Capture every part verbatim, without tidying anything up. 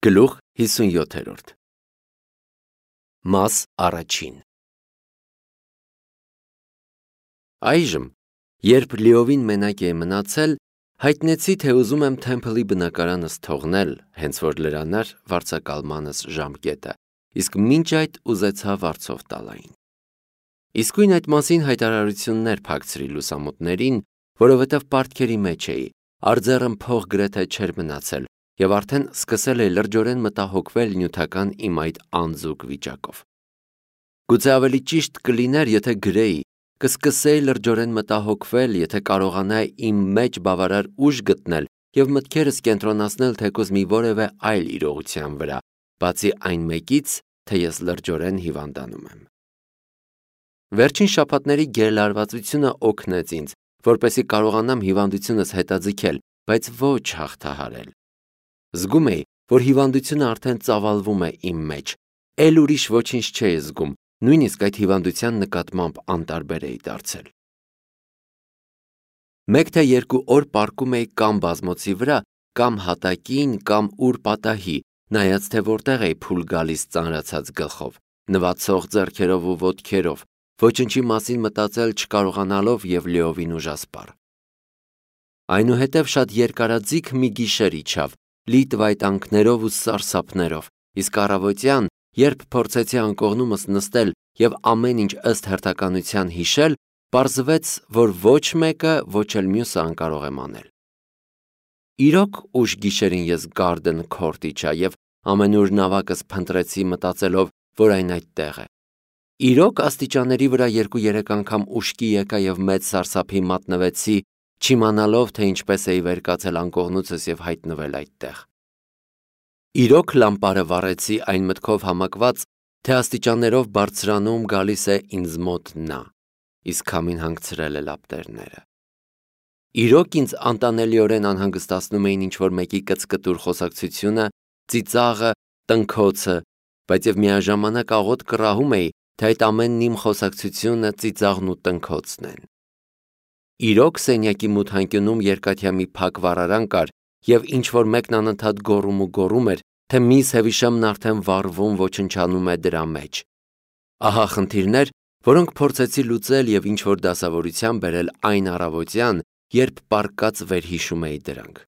Գլուխ հիսունյոթերորդ Մաս առաջին Այժմ, երբ լիովին մենակ էի մնացել, հայտնեցի, թե ուզում եմ թեմփլի բնակարանս թողնել, հենց որ լրանար վարձակալմանս ժամկետը, իսկ մինչ այդ ուզեցա վարձով տալ այն։ Իսկույն այդ մասին հայտարարություններ փակցրի լուսամուտներին, որովհետև պարտքերի մեջ էի, արձեռն փող գրեթե չէր մնացել, և արդեն սկսել էի լրջորեն մտահոգվել նյութական իմ այդ անձուկ վիճակով։ Գուցե ավելի ճիշտ կլիներ, եթե գրեի, կսկսեի լրջորեն մտահոգվել, եթե կարողանայի իմ մեջ բավարար ուժ գտնել և մտքերս կենտրոնացնել թեկուզ մի որևէ այլ իրողության վրա, բացի այն մեկից, թե ես լրջորեն հիվանդանում եմ։ Վերջին շաբաթների գերլարվածությունը օգնեց ինձ, որպեսզի կարողանամ հիվանդությունս հետաձգել, բայց ոչ հաղթահարել։ Զգում էի, որ հիվանդությունը արդեն ծավալվում է իմ մեջ, էլ ուրիշ ոչինչ չէի զգում, նույնիսկ այդ հիվանդության նկատմամբ անտարբեր էի դարձել։ Մեկ թե երկու օր պառկում էի կամ բազմոցի վրա, կամ հատակին, կամ ուր պատահի, նայած թե որտեղ էի փուլ գալիս ծանրացած գլխով, նվացող ձեռքերով ու ոտքերով, ոչնչի մասին մտածել չկարողանալով և լիովին ուժասպառ։ Այնուհետև շատ երկարաձիգ մի գիշեր իջավ, լի տվայտանքներով ու սարսափներով, իսկ առավոտյան, երբ փորձեցի անկողնումս նստել և ամեն ինչ ըստ հերթականության հիշել, պարզվեց, որ ոչ մեկը, ոչ էլ մյուսը անկարող եմ անել։ Իրոք ուշ գիշերին ես Garden Court իջա և ամենուր նավակս փնտրեցի մտածելով, որ այն այդտեղ է։ Իրոք աստիճանների վրա երկու-երեք անգամ ուշքի եկա և մեծ սարսափի մատնվեցի, չիմանալով, թե ինչպես էի վեր կացել անկողնուցս և հայտնվել այդտեղ։ Իրոք լամպարը վառեցի այն մտքով համակված, թե աստիճաններով բարձրանում գալիս է ինձ մոտ նա, իսկ քամին հանգցրել է լապտերները։ Իրոք ինձ անտանելիորեն անհանգստացնում էին ինչ-որ մեկի կծկտուր խոսակցությունը, ծիծաղը, տնքոցը, բայց և միաժամանակ աղոտ կռահում էի, թե այդ ամենն իմ խոսակցությունը, ծիծաղն ու տնքոցն են։ Իրոք սենյակի մութանկյունում երկաթյա մի փակ վառարան կար, և ինչ-որ մեկն անընդհատ գոռում ու գոռում էր, թե միս Հևիշամն արդեն վառվում ոչնչանում է դրա մեջ։ Ահա խնդիրներ, որոնք փորձեցի լուծել և ինչ-որ դասավորության բերել այն առավոտյան, երբ պառկած վերհիշում էի դրանք։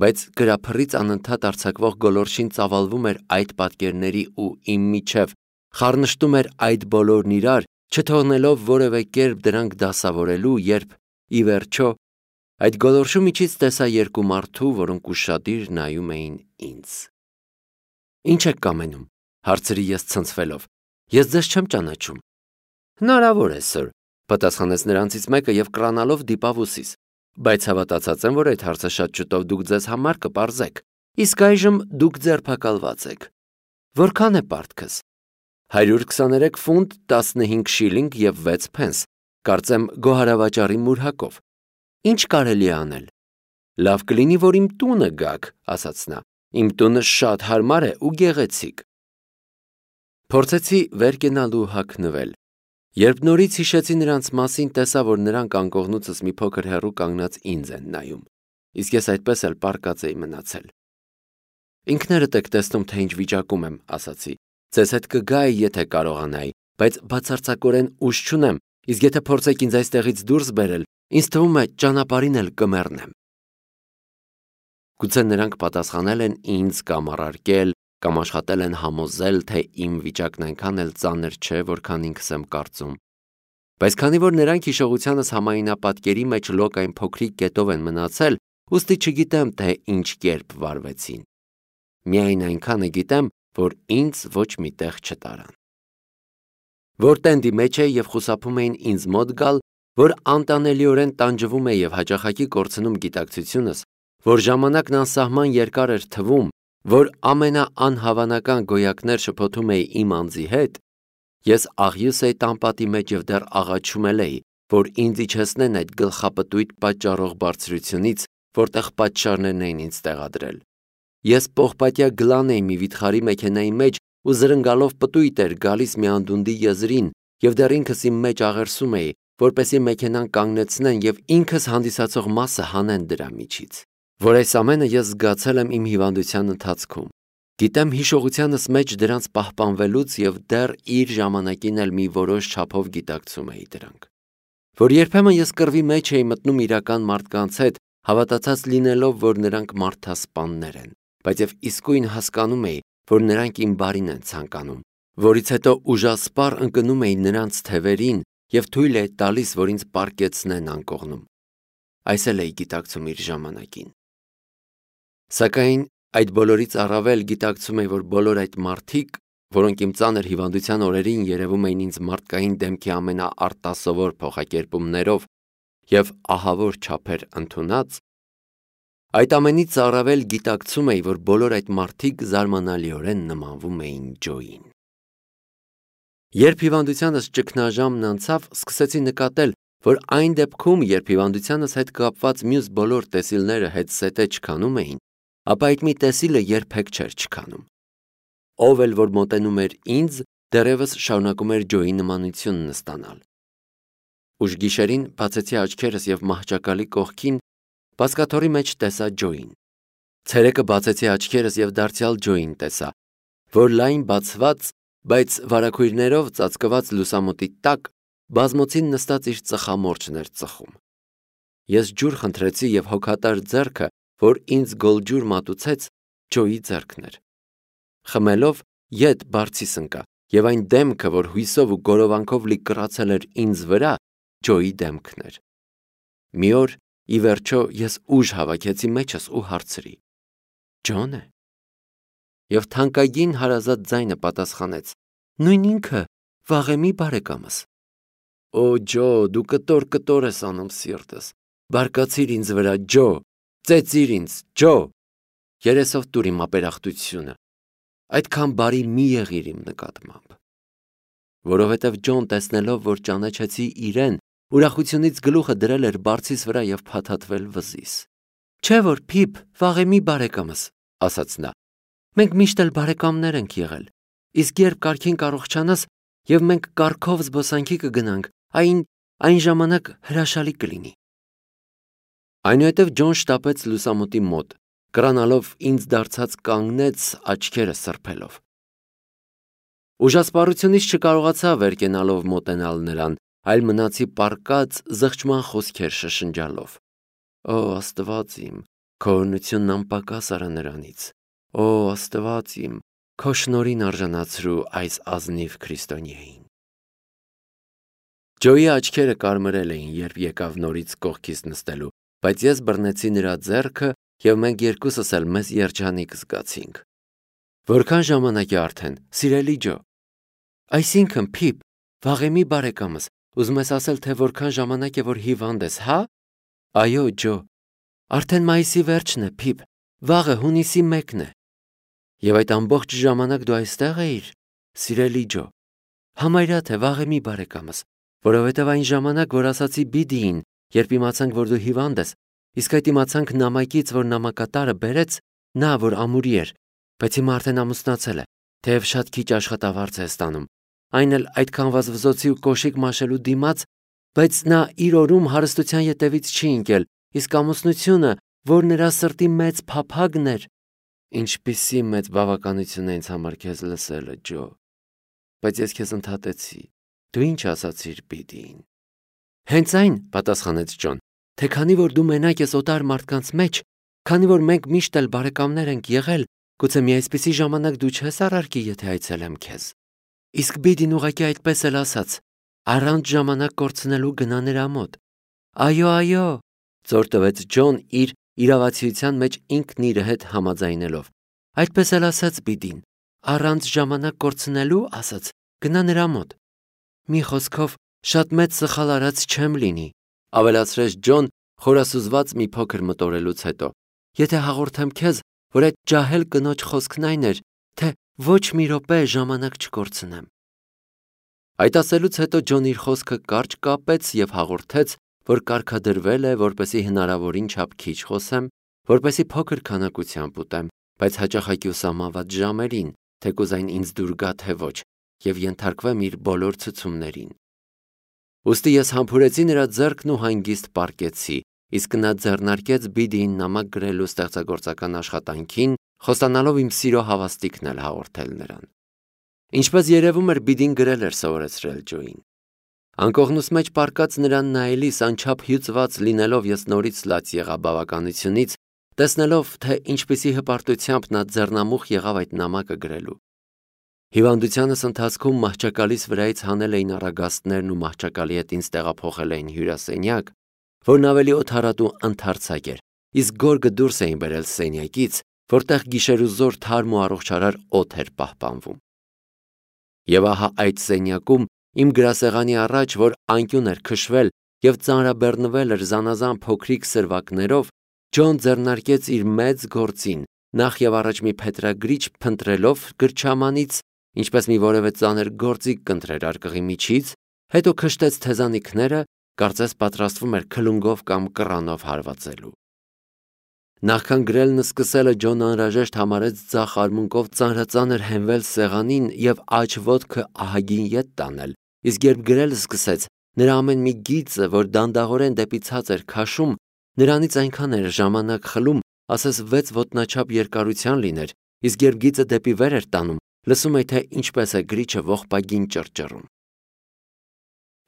Բայց գրափռից անընդհատ արձակվող գոլորշին ծավալվում էր այդ պատկերների ու իմ միջև, խառնշտում էր այդ բոլորն իրար, չթողնելով որևէ կերպ դրանք դասավորելու, երբ, ի վերջո, այդ գոլորշու միջից տեսա երկու մարդու, որոնք ուշադիր նայում էին ինձ։ Ի՞նչ եք կամենում, հարցրի ես ցնցվելով, ես ձեզ չեմ ճանաչում։ Հնարավոր է, սըր, պատասխանեց նրանցից մեկը և կռանալով դիպավ ուսիս, բայց հավատացած եմ, որ այդ հարցը շատ շուտով դուք ձեզ համար կպարզեք, իսկ այժմ դուք ձերբակալված եք։ Որքան է պարտքս։ Հարյուր քսաներեք ֆունտ, տասնհինգ շիլինգ և վեց փենս, կարծեմ գոհարավաճառի մուրհակով։ Ինչ կարելի է անել։ Լավ կլինի, որ իմ տունը գաք, ասաց նա, իմ տունը շատ հարմար է ու գեղեցիկ։ Փորձեցի վեր կենալ ու հագնվել։ Երբ նորից հիշեցի նրանց մասին, տեսա, որ նրանք անկողնուցս մի փոքր հեռու կանգնած ինձ են նայում, իսկ ես այդպես էլ պառկած էի մնացել։ Ինքներդ եք տեսնում, թե ինչ վիճակում եմ, ասացի։ Ձեզ հետ կգայի, եթե կարողանայի, բայց բացարձակորեն ուժ չունեմ, իսկ եթե փորձեք ինձ այստեղից դուրս բերել, ինձ թվում է ճանապարհին էլ կմեռնեմ։ Գուցե նրանք պատասխանել են ինձ կամ առարկել, կամ աշխատել են համոզել, թե իմ վիճակն այնքան էլ ծանր չէ, որքան ինքս եմ կարծում։ Բայց քանի որ նրանք հիշողությանս համայնապատկերի մեջ լոկ այն փոքրիկ կետով են մնացել, ուստի չգիտեմ, թե ինչ կերպ վարվեցին։ Միայն այնքանը գիտեմ, որ ինձ ոչ մի տեղ չտարան։ Որ տենդի մեջ էի և խուսափում էին ինձ մոտ գալ, որ անտանելիորեն տանջվում էի և հաճախակի կորցնում գիտակցությունս, որ ժամանակն անսահման երկար էր թվում, որ ամենաանհավանական գոյակներ շփոթում էի իմ անձի հետ, ես աղյուս էի տան պատի մեջ և դեռ աղաչում էլ էի, որ ինձ իջեցնեն այդ գլխապտույտ պատճառող բարձրությունից, որտեղ պատշաճներն էին ինձ տեղադրել։ Ես պողպատյա գլան էի մի վիթխարի մեքենայի մեջ ու զրնգալով պտույտ էր գալիս մի անդունդի եզրին և դեռ ինքս իմ մեջ աղերսում էի, որպեսզի մեքենան կանգնեցնեն և ինքս հանդիսացող մասը հանեն դրա միջից։ որ այս ամենը ես զգացել եմ իմ հիվանդության ընթացքում։ Գիտեմ հիշողությանս մեջ դրանց պահպանվելուց և դեռ իր ժամանակին էլ մի որոշ չափով գիտակցում էի դրանք։ Որ երբեմն ես կռվի մեջ էի մտնում իրական մարդկանց հետ, հավատացած լինելով, որ նրանք մարդասպաններ են, բայց և իսկույն հասկանում էի, որ նրանք իմ բարին են ցանկանում, որից հետո ուժասպառ ընկնում էի նրանց թևերին և թույլ էի տալիս, որ ինձ պառկեցնեն անկողնում։ Այս էլ էի գիտակցում իր ժամանակին։ Սակայն այդ բոլորից առավել գիտակցում էի, որ բոլոր այդ մարդիկ, որոնք իմ ծանր հիվանդության օրերին երևում էին ինձ մարդկային դեմքի ամենաարտասովոր փոխակերպումներով և ահավոր չափեր ընդունած, այդ ամենից առավել գիտակցում էի, որ բոլոր այդ մարդիկ զարմանալիորեն նմանվում էին Ջոյին։ Երբ հիվանդությանս ճգնաժամն անցավ, սկսեցի նկատել, որ այն դեպքում, երբ հիվանդությանս հետ կապված մյուս բոլոր տեսիլները հետզհետե չքանում էին, ապա այդ մի տեսիլը երբեք չէր չքանում։ Ով էլ որ մոտենում էր ինձ, դեռևս շարունակում էր Ջոյի նմանությունն ստանալ։ Ուշ գիշերին բացեցի աչքերս և մահճակալի կողքին բազկաթոռի մեջ տեսա Ջոյին։ Ցերեկը բացեցի աչքերս և դարձյալ Ջոյին տեսա, որ լայն բացված, բայց վարագույրներով ծածկված լուսամուտի տակ բազմոցին նստած իր ծխամորճն էր ծխում։ Ես ջուր խնդրեցի և հոգատար ձեռքը, որ ինձ գոլջուր մատուցեց, Ջոյի ձեռքն էր։ Խմելով ետ բարձիս ընկա, և այն դեմքը, որ հույսով ու գորովանքով լի կռացել էր ինձ վրա, Ջոյի դեմքն էր։ Մի օր, ի վերջո, ես ուժ հավաքեցի մեջս ու հարցրի. Ջո՞ն է։ Եվ թանկագին հարազատ ձայնը պատասխանեց. Նույն ինքը, Վաղեմի բարեկամս։ Օ Ջո, դու կտոր-կտոր ես անում սիրտս, բարկացիր ինձ վրա, Ջո, ծեծիր ինձ, Ջո, երեսով տուր իմ ապերախտությունը, այդքան բարի մի եղիր իմ նկատմամբ։ Որովհետև Ջոն տեսնելով, որ ճանաչեցի իրեն, ուրախությունից գլուխը դրել էր բարձիս վրա և փաթաթվել վզիս։ Չէ որ Փիփ, Վաղեմի բարեկամս, ասաց նա, մենք միշտ էլ բարեկամներ ենք եղել, իսկ երբ կարգին կառողջանաս և մենք կառքով զբոսանքի կգնանք, այն, այն ժամանակ հրաշալի կլինի։ Այնուհետև Ջոն շտապեց լուսամուտի մոտ, կռանալով ինձ դարձած կանգնեց աչքերը սրբելով։ Ուժասպառությունից չկարողացա վեր կենալով մոտենալ նրան, այլ մնացի պառկած զղջման խոսքեր շշնջալով։ Օ Աստված իմ, քո օրհնությունն անպակաս արա նրանից։ Օ Աստված իմ, քո շնորհին արժանացրու այս ազնիվ քրիստոնյային։ Ջոյի աչքերը կարմրել էին, երբ եկավ նորից կողքիս նստելու, բայց ես բռնեցի նրա ձեռքը և մենք երկուսս էլ մեզ երջանիկ զգացինք։ Որքան ժամանակ է արդեն, սիրելի Ջո։ Այսինքն, Փիփ, Վաղեմի բարեկամս, ուզում ես ասել, թե որքան ժամանակ է, որ հիվանդ ես, հա։ Այո, Ջո, արդեն մայիսի վերջն է, Փիփ, վաղը հունիսի մեկն է։ Եվ այդ ամբողջ ժամանակ դու այստեղ էիր, սիրելի Ջո։ Համարյա թե Վաղեմի բարեկամս, որովհետև այն ժամանակ, որ ասացի Բիդիին, երբ իմացանք, որ դու հիվանդ ես, իսկ այդ իմացանք նամակից, որ նամակատարը բերեց, նա, որ ամուրի էր, բայց հիմա արդեն ամուսնացել է, թեև շատ քիչ աշխատավարձ է ստանում, այն էլ այդքան վազվզոցի ու կոշիկ մաշելու դիմաց, բայց նա իր օրում հարստության ետևից չի ընկել, իսկ ամուսնությունը, որ նրա սրտի մեծ փափագն էր, ինչպիսի մեծ բավականություն է ինձ համար քեզ լսելը, Ջո, բայց ես քեզ ընդհատեցի, դու ինչ ասացիր Բիդիին։ Հենց այն, պատասխանեց Ջոն, թե քանի որ դու մենակ ես օտար մարդկանց մեջ, քանի որ մենք միշտ էլ բարեկամներ ենք եղել, գուցե մի այսպիսի ժամանակ դու չես առարկի, եթե այցելեմ քեզ։ Իսկ Բիդին ուղղակի այդպես էլ ասաց, առանց ժամանակ կորցնելու գնա նրա մոտ։ Այո, այո, ծոր տվեց Ջոն իր իրավացիության մեջ ինքն իր հետ համաձայնելով։ Այդպես էլ ասաց Բիդին, առանց ժամանակ կորցնելու, ասաց, գնա նրա մոտ։ Մի խոսքով, շատ մեծ սխալ արած չեմ լինի, ավելացրեց Ջոն խորասուզված մի փոքր մտորելուց հետո, եթե հաղորդեմ քեզ, որ այդ ջահել կնոջ խոսքն այն էր, թե ոչ մի րոպե ժամանակ չկորցնեմ։ Այդ ասելուց հետո Ջոն իր խոսքը կարճ կապեց և հաղորդեց, որ կարգադրվել է, որպեսզի հնարավորին չափ քիչ խոսեմ, որպեսզի փոքր քանակությամբ ուտեմ, բայց հաճախակի ուսամաված ժամերին, թեկուզ այն ինձ դուր գա թե ոչ, և ենթարկվեմ իր բոլոր ցցումներին։ Ուստի ես համբուրեցի նրա ձեռքն ու հանգիստ պառկեցի, իսկ նա ձեռնարկեց Բիդիին նամակ գրելու ստեղծագործական աշխատանքին, խոստանալով իմ սիրո հավաստիքն էլ հաղորդել նրան։ Ինչպես երևում էր, Բիդին գրել էր սովորեցրել Ջոին։ Անկողնուս մեջ պառկած նրան նայելիս անչափ հյուծված լինելով ես նորից լաց եղա բավականությունից, տեսնելով, թե ինչպիսի հպարտությամբ նա ձեռնամուխ եղավ այդ նամակը գրելու։ Հիվանդությանս ընթացքում մահճակալիս վրայից հանել էին առագաստներն ու մահճակալի հետ ինձ տեղափոխել էին հյուրասենյակ, որն ավելի օդառատ ու ընդարձակ էր, իսկ գորգը դուրս էին բերել սենյակից, որտեղ գիշերուզոր թարմ ու առողջարար օդ էր պահպանվում։ Եվ ահա այդ սենյակում իմ գրասեղանի առաջ, որ անկյուն էր քշվել և ծանրաբեռնվել էր զանազան փոքրիկ սրվակներով, Ջոն ձեռնարկեց իր մեծ գործին, նախ և առաջ մի փետրագրիչ փնտրելով գրչամանից, ինչպես մի որևէ ծանր գործիք կընտրեր արկղի միջից, հետո քշտեց թեզանիքները, կարծես պատրաստվում էր քլունգով կամ կռանով հարվածելու։ Նախքան գրելն սկսելը Ջոնն անհրաժեշտ համարեց ձախ արմունկով ծանրածանր հենվել սեղանին և աջ ոտքը ահագին ետ տանել, իսկ երբ գրելը սկսեց, նրա ամեն մի գիծը, որ դանդաղորեն դեպի ցած էր քաշում, նրանից այնքան էր ժամանակ խլում, ասես վեց ոտնաչափ երկարության լիներ, իսկ երբ գիծը դեպի վեր էր տանում, լսում էի, թե ինչպես է գրիչը ողբագին ճռճռում։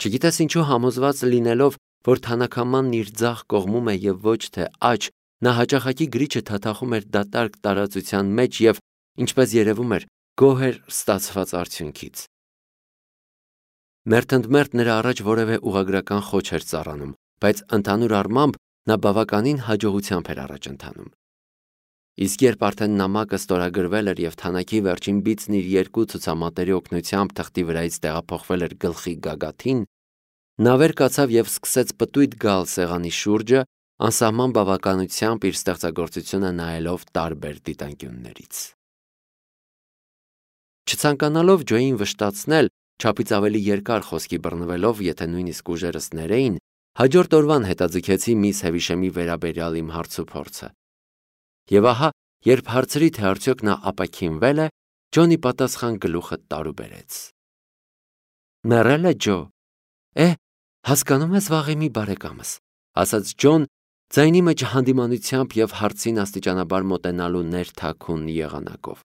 Չգիտես ինչու համոզված լինելով, որ թանաքամանն իր ձախ կողմում է և ոչ թե աջ, նա հաճախակի գրիչը թաթախում էր դատարկ տարածության մեջ և, ինչպես երևում էր, գոհ էր ստացված արդյունքից։ Մերթընդմերթ նրա առաջ որևէ ուղղագրական խոչ էր ծառանում, բայց ընդհանուր առմամբ նա բավականին հաջողությամբ էր առաջ ընթանում։ Իսկ երբ արդեն նամակը ստորագրվել էր և թանաքի վերջին բիծն իր երկու ցուցամատերի օգնությամբ թղթի վրայից տեղափոխվել էր գլխի գագաթին, նա վեր կացավ և սկսեց պտույտ գալ սեղանի շուրջը, անսահման բավականությամբ իր ստեղծագործությունը նայելով տարբեր դիտանկյուններից։ Չցանկանալով Ջոյին վշտացնել, չափից ավելի երկար խոսքի բռնվելով, եթե նույնիսկ ուժերս ներեին, հաջորդ օրվան հետաձգեցի միս Հևիշեմի վերաբերյալ իմ հարցուփորձը։ Եվ ահա, երբ հարցրի, թե արդյոք նա ապաքինվել է, Ջոնի պատասխան գլուխը տարուբերեց։ Մեռել է Ջո։ Է, հասկանում ես վաղեմի բարեկամս, ասաց Ջոն, ձայնի մեջ հանդիմանությամբ և հարցին աստիճանաբար մոտենալու ներթաքուն եղանակով։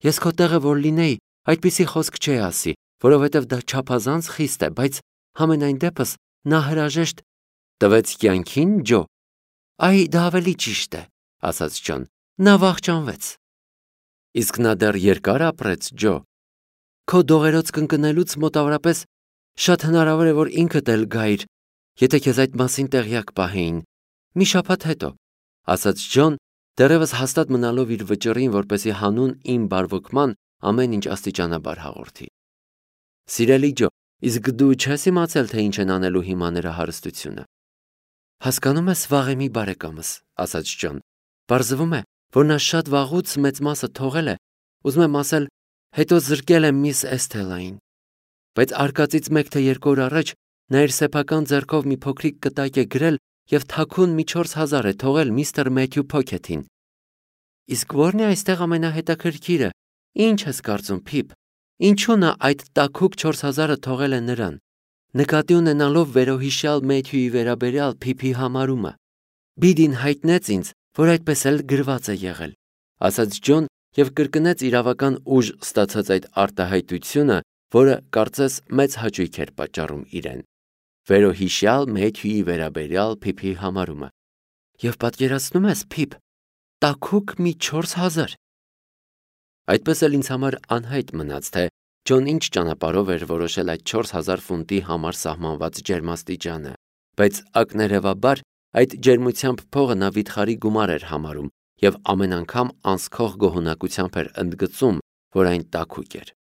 Ես քո տեղը որ լինեի, այդպիսի խոսք չէի ասի, որովհետև դա չափազանց խիստ է, բայց համենայն դեպս նա հրաժեշտ տվեց կյանքին, Ջո։ Այ դա ավելի ճիշտ է, ասաց Ջոն, նա վախճանվեց։ Իսկ նա դեռ երկար ապրեց, Ջո։ Քո դողերոց կնկնելուց մոտավորապես շատ հնարավոր է, որ ինքդ էլ գայիր, եթե քեզ այդ մասին տեղյակ պահեին։ Մի շաբաթ հետո, ասաց Ջոն, դեռևս հաստատ մնալով իր վճռին, որպեսզի հանուն իմ բարվոքման ամեն ինչ աստիճանաբար հաղորդի։ Սիրելի Ջո, իսկ դու չես իմացել, թե ինչ են անելու հիմա նրա հարստությունը։ Հասկանում ես վաղեմի բարեկամս, ասաց Ջոն, պարզվում է, որ նա շատ վաղուց մեծ մասը թողել է, ուզում եմ ասել, հետո զրկել է միս Էսթելային։ Բայց արկածից մեկ թե երկու օր առաջ նա իր սեփական ձեռքով մի փոքրիկ կտակ է գրել և թաքուն մի չորս հազար է թողել միստր Մեթյու Փոքեթին։ Իսկ ո՞րն է այստեղ ամենահետաքրքիրը, ինչ ես կարծում, Փիփ, ինչու նա այդ տաքուկ չորս հազարը թողել է նրան, նկատի ունենալով վերոհիշյալ Մեթյուի վերաբերյալ Փիփի համարումը։ Բիդին հայտնեց ինձ, որ այդպես էլ գրված է եղել, ասաց Ջոն և կրկնեց իրավական ուժ ստացած այդ արտահայտությունը, որը կարծես մեծ հաճույք էր պատճառում իրեն։ Վերոհիշյալ Մեթյուի վերաբերյալ Փիփի համարումը։ Եվ պատկերացնում ես, Փիփ, տաքուկ մի չորս հազար։ Այդպես էլ ինձ համար անհայտ մնաց, թե Ջոն ինչ ճանապարհով էր որոշել այդ չորս հազար ֆունտի համար սահմանված ջերմաստիճանը, բայց ակներևաբար այդ ջերմությամբ փողը նա վիթխարի գումար էր համարում և ամեն անգամ անսքող գոհունակությամբ էր ընդգծում, որ այն տաքուկ էր։